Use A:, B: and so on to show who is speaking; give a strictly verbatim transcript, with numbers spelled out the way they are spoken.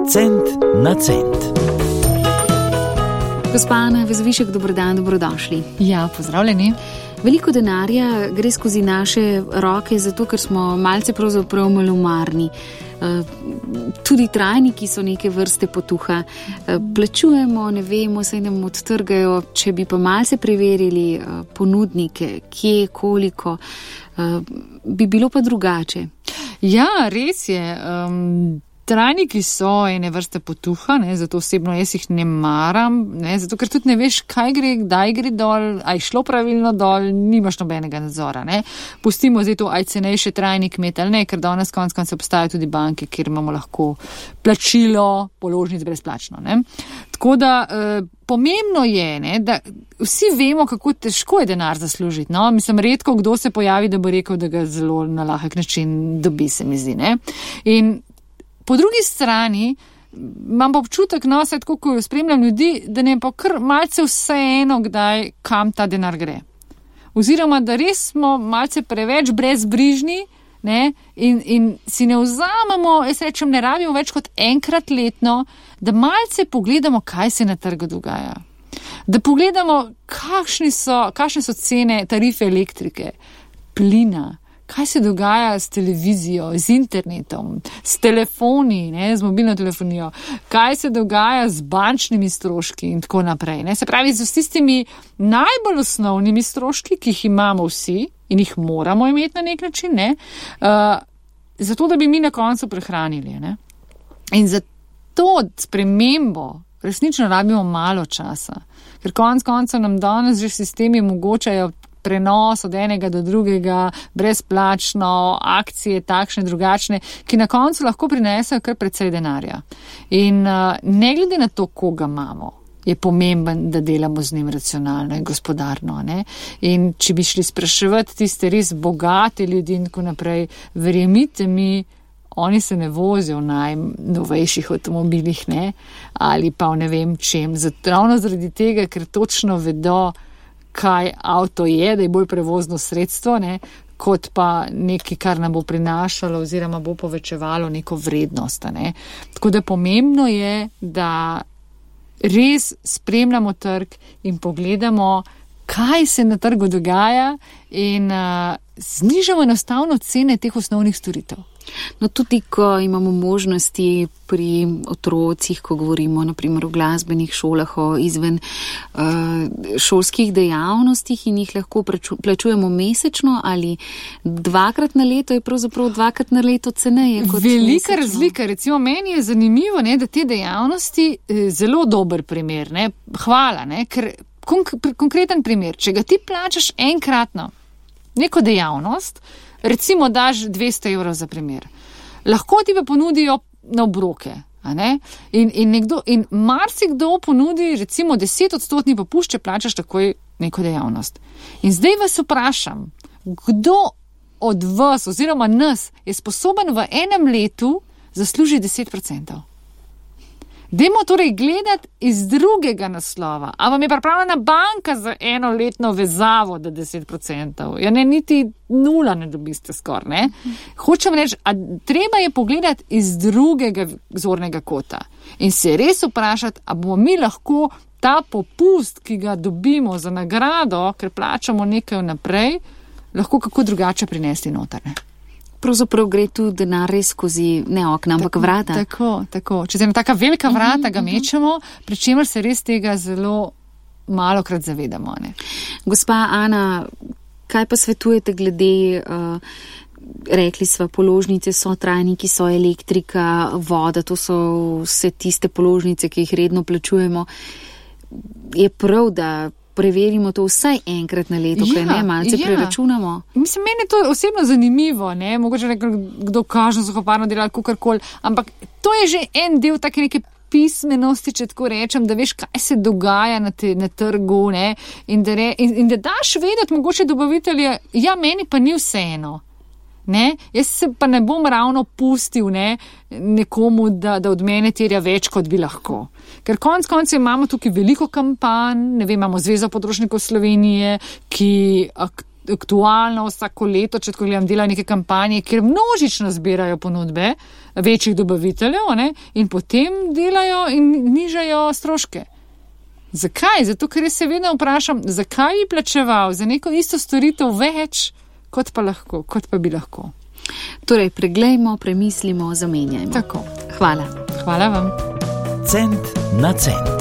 A: Cent na cent.
B: Gospa Ana Vezovišek, dobrodan, dobrodošli.
C: Ja, pozdravljeni.
B: Veliko denarja gre skozi naše roke, zato ker smo malce pravzaprav malomarni. Tudi trajniki so neke vrste potuha. Plačujemo, ne vemo, saj nam odtrgajo, če bi pa malce preverili ponudnike, kje, koliko, bi bilo pa drugače.
C: Ja, res je. Um... Trajniki so ene vrste potuha, ne, zato osebno jaz jih ne maram, ne, zato ker tudi ne veš, kaj gre, kdaj gre dol, aj šlo pravilno dol, nimaš nobenega nadzora. Ne. Pustimo zdaj to, aj cenejše trajnik imeti ali ne, ker danes konec koncev obstajajo tudi banke, kjer imamo lahko plačilo položnic brezplačno. Ne. Tako da eh, pomembno je, ne, da vsi vemo, kako težko je denar zaslužiti. No. Mislim, redko kdo se pojavi, da bo rekel, da ga zelo na lahek način dobi, se mi zdi. Ne. In po drugi strani imam pa občutek, no, saj tako, ko spremljam ljudi, da ne pa kar malce vseeno, kdaj, kam ta denar gre. Oziroma, da res smo malce preveč brezbrižni, ne, in, in si ne vzamemo, jaz rečem, ne rabimo več kot enkrat letno, da malce pogledamo, kaj se na trgu dogaja. Da pogledamo, kakšni so, kakšne so cene tarife elektrike, plina, kaj se dogaja s televizijo, z internetom, s telefoni, ne, z mobilno telefonijo, kaj se dogaja z bančnimi stroški in tako naprej. Ne. Se pravi, z tistimi najbolj osnovnimi stroški, ki jih imamo vsi in jih moramo imeti na nek način, ne, uh, zato, da bi mi na koncu prehranili. Ne. In za to spremembo resnično rabimo malo časa, ker konec koncev nam danes že sistemi omogočajo prenos od enega do drugega, brezplačno, akcije takšne, drugačne, ki na koncu lahko prinesejo kar precej denarja. In uh, ne glede na to, koga imamo, je pomemben, da delamo z njim racionalno in gospodarno. Ne? In če bi šli spraševati tiste res bogate ljudi in tako naprej, verjemite mi, oni se ne vozijo v najnovejših avtomobilih, ne? Ali pa v ne vem čem. Zato, ravno zaradi tega, ker točno vedo, kaj avto je, da je bolj prevozno sredstvo, ne, kot pa nekaj, kar nam bo prinašalo oziroma bo povečevalo neko vrednost. Ne. Tako da pomembno je, da res spremljamo trg in pogledamo, kaj se na trgu dogaja in uh, znižamo enostavno cene teh osnovnih storitev.
B: No, tudi ko imamo možnosti pri otrocih, ko govorimo naprimer o glasbenih šolah, o izven uh, šolskih dejavnostih in jih lahko plačujemo mesečno ali dvakrat na leto, je pravzaprav dvakrat na leto ceneje kot
C: velika
B: mesečno.
C: Razlika. Recimo meni je zanimivo, ne, da te dejavnosti eh, zelo dober primer. Ne, hvala, ne, ker konk- konkreten primer, če ga ti plačaš enkratno neko dejavnost, recimo daš dvesto evrov za primer. Lahko ti pa ponudijo na obroke. A ne? In, in, nekdo, in marsikdo ponudi recimo deset odstotni popušč, če plačaš takoj neko dejavnost. In zdaj vas vprašam, kdo od vas oziroma nas je sposoben v enem letu zaslužiti deset procentov? Dajmo torej gledati iz drugega naslova. A vam je pripravljena banka za enoletno vezavo, da deset procentov? Ja ne, niti nula ne dobiste skoraj, ne? Hočem reči, a treba je pogledati iz drugega zornega kota in se res vprašati, a bomo mi lahko ta popust, ki ga dobimo za nagrado, ker plačamo nekaj vnaprej, lahko kako drugače prinesli noter, ne?
B: Pravzaprav gre tu denar res skozi ne okna, ampak vrata.
C: Tako, tako. Če se na taka velika vrata ga mečemo, pri čemer se res tega zelo malokrat zavedamo. Ne?
B: Gospa Ana, kaj pa svetujete glede, uh, rekli sva, položnice so trajniki, so elektrika, voda, to so vse tiste položnice, ki jih redno plačujemo. Je prav, da preverimo to vsaj enkrat na leto, kaj ja, ne, malce ja. preračunamo.
C: Mislim, meni je to osebno zanimivo, ne, mogoče nekaj, kdo kaže zahoparno delati kakorkoli, ampak to je že en del take neke pismenosti, če tako rečem, da veš, kaj se dogaja na, te, na trgu, ne, in da, re, in, in da daš vedeti mogoče dobavitelje, ja, meni pa ni vseeno. Ne? Jaz se pa ne bom ravno pustil ne, nekomu, da, da od mene terja več, kot bi lahko. Ker konec koncev imamo tukaj veliko kampanj, ne vem, imamo Zvezo potrošnikov Slovenije, ki ak, aktualno vsako leto, če tako gledam, delajo neke kampanje, kjer množično zbirajo ponudbe večjih dobaviteljev, ne, in potem delajo in nižajo stroške. Zakaj? Zato, ker jaz se vedno vprašam, zakaj bi plačeval za neko isto storitev več, kot pa lahko, kot pa bi lahko.
B: Torej, preglejmo, premislimo, zamenjajmo.
C: Tako.
B: Hvala.
C: Hvala vam.
A: Cent na cent.